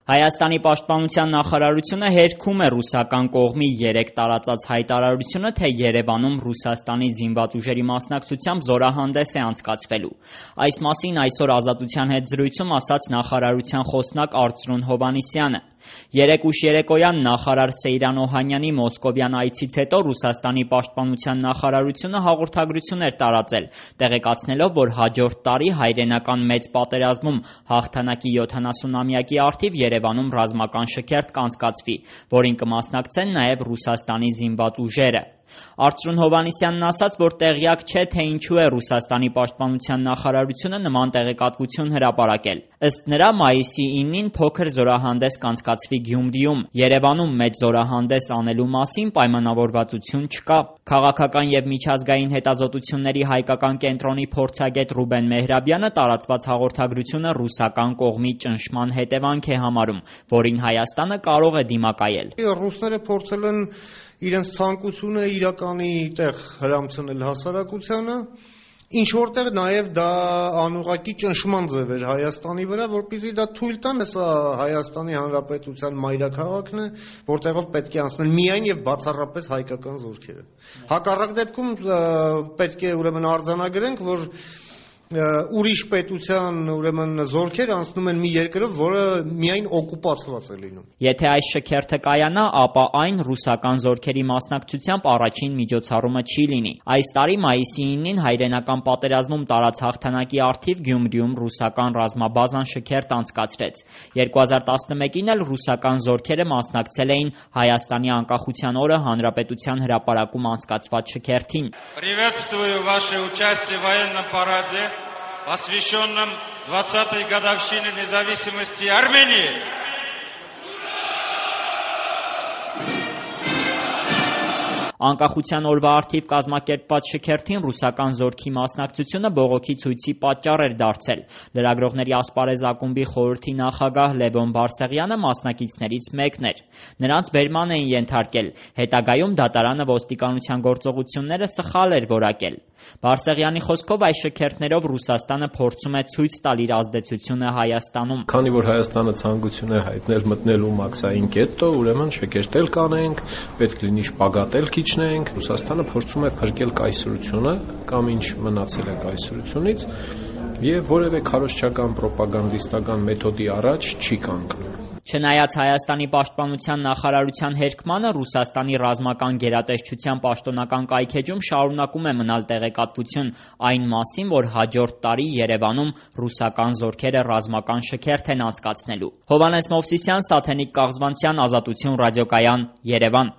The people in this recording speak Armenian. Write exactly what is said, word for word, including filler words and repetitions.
Հայաստանի պաշտպանության նախարարությունը հերքում է ռուսական կողմի երեկ տարածած հայտարարությունը, թե Երևանում Ռուսաստանի զինված ուժերի մասնակցությամբ զորահանդես է անցկացվելու։ Այս մասին այսօր Ազատության հետ զրույցում ասաց նախարարության խոսնակ Արծրուն Հովհաննիսյանը։ Երեկ ուշ երեկոյան նախարար Սեյրան Օհանյանի մոսկովյան այցից հետո Ռուսաստանի պաշտպանության նախարարությունը հաղորդագրություն էր տարածել, տեղեկացնելով, որ հաջորդ տարի հայրենական մեծ պատերազմում հաղթանակի յոթանասունամյակի առթիվ Երևանում ռազմական շքերթ կանցկացվի, որին կմասնակցեն նաև Ռուսաստանի զինված ուժերը։ Արծրուն Հովհաննիսյանն ասաց, որ տեղյակ չէ, թե ինչու է Ռուսաստանի պաշտպանության նախարարությունը նման տեղեկատվություն հրապարակել։ Ըստ նրա, մայիսի իննին փոքր զորահանդես կանցկացվի Գյումրիում։ Երևանում մեծ զորահանդես անելու մասին պայմանավորվածություն չկա։ Քաղաքական և միջազգային հետազոտությունների հայկական կենտրոնի փորձագետ Ռուբեն Մեհրաբյանը տարածված հաղորդագրությունը ռուսական կողմի ճնշման հետևանք է համարում, որին Հայաստանը կարող է դիմակայել։ Ռուսները փորձել են իրենց ցանկությունը իրականի տեղ հրամցնել հասարակությանը, ինչ որտեղ նաև դա անուղղակի ճնշման ձև էր Հայաստանի վրա, որպեսզի դա թույլ տան, սա Հայաստանի Հանրապետության մայրաքաղաքն է, որտեղով պետք է անցնել միայն եւ բացառապես հայկական զորքերը։ Հակառակ դեպքում պետք է ուրեմն արձանագրենք, որ ուրիշ պետության ուրեմն զորքեր անցնում են մի երկրով, որը միայն օկուպացված է լինում։ Եթե այս շքերթը կայանա, ապա այն ռուսական զորքերի մասնակցությամբ առաջին միջոցառումը չի լինի։ Այս տարի մայիսի իննին հայրենական պատերազմում տարած հաղթանակի առթիվ Գյումրիում ռուսական ռազմաբազան շքերթ անցկացրեց։ երկու հազար տասնմեկին էլ ռուսական զորքերը մասնակցել էին Հայաստանի անկախության օրը Հանրապետության հրապարակում անցկացված շքերթին։ Приветствую ваше участие в военном параде, посвященном двадцатой годовщине независимости Армении. Անկախության օրվա առթիվ կազմակերպված շքերթին ռուսական զորքի մասնակցությունը բողոքի ցույցի պատճառ էր դարձել։ Լրագրողների ասպարեզ ակումբի խորհրդի նախագահ Լևոն Բարսեղյանը մասնակիցներից մեկն էր։ Նրանց բերման էին ենթարկել։ Հետագայում դատարանը ոստիկանության գործողությունները սխալ էր որակել։ Բարսեղյանի խոսքով այս շքերթներով Ռուսաստանը փորձում է ցույց տալ իր ազդեցությունը Հայաստանում։ Քանի որ Հայաստանը ցանկություն է հայտնել մտնելու մաքսային կետո, ուրեմն շքերթել կանենք, պետք լինի շպագատել քիչնենք։ Ռուսաստանը փորձում է փրկել կայսրությունը կամ ինչ մնացել է կայսրությունից եւ որևէ քարոզչական ռոպագանդիստական մեթոդի առաջ չի կանգնում։ Չնայած Հայաստանի պաշտպանության նախարարության հերքմանը, Ռուսաստանի ռազմական գերատեսչության պաշտոնական կայքէջում շարունակում է մնալ տեղեկատվություն այն մասին, որ հաջորդ տարի Երևանում ռուսական զորքերը ռազմական շքերթ են անցկացնելու։ Հովհաննես Մովսիսյան, Սաթենիկ Կաղզվանցյան, Ազատություն ռադիոկայան, Երևան։